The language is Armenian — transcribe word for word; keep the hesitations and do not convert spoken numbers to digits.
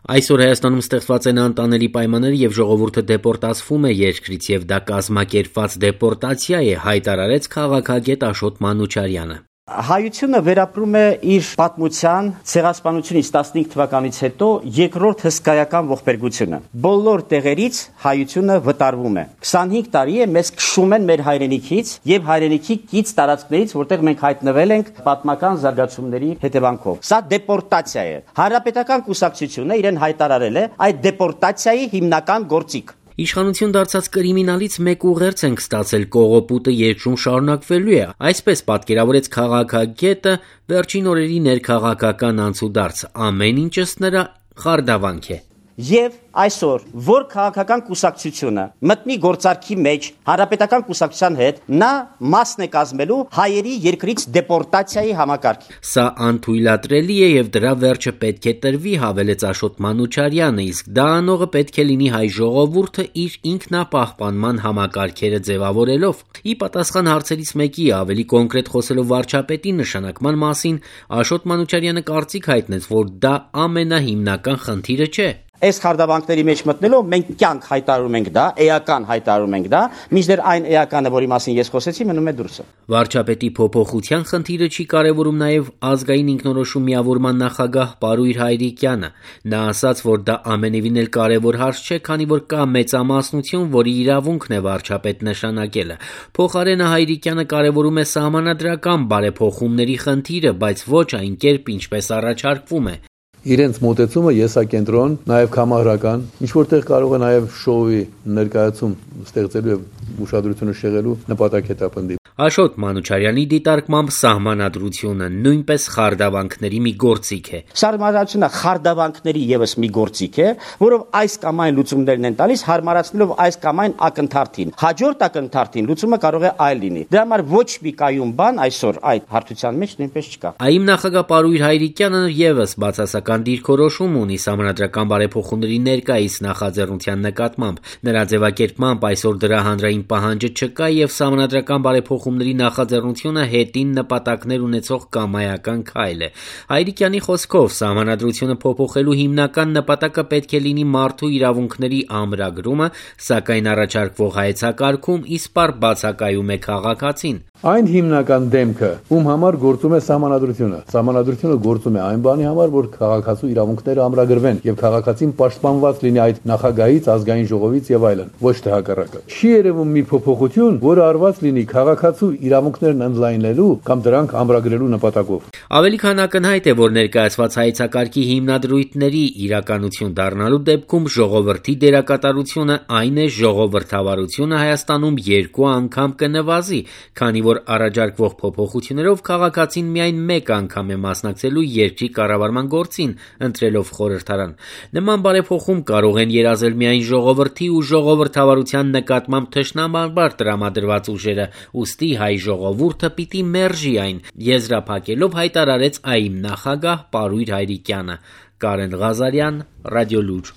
Այսօր Հայաստանում ստեղծված են անտանելի պայմաններ եւ ժողովուրդը դեպորտացվում է երկրից եւ դա կազմակերպված դեպորտացիա է, հայտարարեց քաղաքագետ Աշոտ Մանուչարյանը։ Հայությունը վերապրում է իր պատմության ցեղասպանությունից տասնհինգ թվականից հետո երկրորդ հսկայական ողբերգությունը։ Բոլոր տեղերից հայությունը վտարվում է։ քսանհինգ տարի է մեզ քշում են մեր հայրենիքից եւ հայրենիքի կից տարածքներից, որտեղ մենք հայտնվել ենք պատմական զարգացումների հետևանքով։ Սա դեպորտացիա է։ Հանրապետական կուսակցությունը իրեն հայտարարել է այդ դեպորտացիայի հիմնական գործիք։ Իշխանություն դարձած կրիմինալից մեկ ուղերձ ենք ստացել, կողոպուտը երկրում շարունակվելու է, այսպես պատկերավորեց քաղաքագետը վերջին օրերի ներքաղաքական անցուդարձ, ամեն ինչ ըստ նրա խարդավանք է։ Եվ այսօր, որ քաղաքական կուսակցությունը մտնի գործարքի մեջ հանրապետական կուսակցության հետ, նա մասն է կազմելու հայերի երկրից դեպորտացիայի համակարգի։ Սա անթույլատրելի է եւ դրա վերջը պետք է տրվի, հավելեց Աշոտ Մանուչարյանը, իսկ դա անողը պետք է լինի հայ ժողովուրդը իր ինքնապահպանման համակարգերը ձևավորելով։ Ի պատասխան հարցերից մեկի ավելի կոնկրետ խոսելով վարչապետի նշանակման մասին, Աշոտ Մանուչարյանը կարծիք հայտնեց, որ դա ամենահիմնական խնդիրը չէ։ Այս խարդավանքների մեջ մտնելով մենք կյանք հայտարարում ենք դա, էական հայտարարում ենք դա, մինչդեռ այն էականը, որի մասին ես խոսեցի, մնում է դուրսը։ Վարչապետի փոփոխության խնդիրը չի կարևորում նաև ազգային ինքնորոշում միավորման նախագահ Պարույր Հայրիկյանը։ Նա ասաց, որ դա ամենևին էլ կարևոր հարց չէ, քանի որ կա մեծամասնություն, որի իրավունքն է վարչապետ նշանակելը։ Փոխարենը Հայրիկյանը կարևորում է սահմանադրական բարեփոխումների խնդիրը, բայց ոչ այն կերպ, ինչպես առաջարկվում է։ Իրենց մոտեցումը եսակենտրոն, նաև կամարական, ինչ որտեղ կարող է նաև շոուի ներկայացում ստեղծելու եւ ուշադրությունը շեղելու նպատակ հետապնդի։ Աշոտ Մանուչարյանի դիտարկմամբ սահմանադրությունը նույնպես խարդավանքների մի գործիք է։ Սահմանադրությունը խարդավանքների եւս մի գործիք է, որով այս կամ այն լուծումներն են տալիս, հարմարացնելով այս կամ այն ակնթարթին։ Հաջորդ ակնթարթին լուծումը կարող է այլ լինի։ Դրա համար ոչ մի կայուն բան այսօր այդ հարթության մեջ նույնպես չկա։ ԱԻՄ նախագահ Պարույր Հայրիկյանը եւս բացասական դիրքորոշում ունի սահմանադրական բարեփոխումների ներկայիս նախաձեռնության նկատմամբ։ Նրա ձևակերպմամբ այսօր դրա հանրային պահանջը չկա եւ սահմանադրական բարեփոխումների նախաձեռնությունը հետին նպատակներ ունեցող կամայական քայլ է։ Հայրիկյանի խոսքով սահմանադրությունը փոփոխելու հիմնական նպատակը պետք է լինի մարդու իրավունքների ամրագրումը, սակայն առաջարկվող հայեցակարգում իսպառ բացակայում է քաղաքացին։ Այն հիմնական դեմքը, ում համար գործում է սահմանադրությունը։ Սահմանադրությունը գործում է այն բանի համար, որ քաղաքացու իրավունքները ամրագրվեն եւ քաղաքացին պաշտպանված լինի այդ նախագահից, ազգային ժողովից եւ այլն, ոչ թե հակառակը։ Չի երևում մի փոփոխություն, որը արված լինի քաղաքացու իրավունքներն ընդլայնելու կամ դրանք ամրագրելու նպատակով։ Ավելի քան ակնհայտ է, որ ներկայացված հայեցակարգի հիմնադրույթների իրականություն դառնալու դեպքում ժողովրդի դերակատարությունը, այն է ժողովրդավարությունը Հայաստանում երկու անգամ կնվազի, քանի որ առաջարկվող փոփոխություններով քաղաքացին միայն մեկ անգամ է մասնակցելու երկրի կառավարման գործին, ընտրելով խորհրդարան։ Նման բարեփոխում կարող են երազել միայն ժողովրդի ու ժողովրդավարության նկատմամբ թշնամանբար տրամադրված ուժերը, ուստի հայ ժողովուրդը պիտի մերժի այն, եզրափակելով հայտարարեց ԱԻՄ նախագահ Պարույր Հայրիկյանը։ Կարեն Ղազարյան, Ռադիոլուր։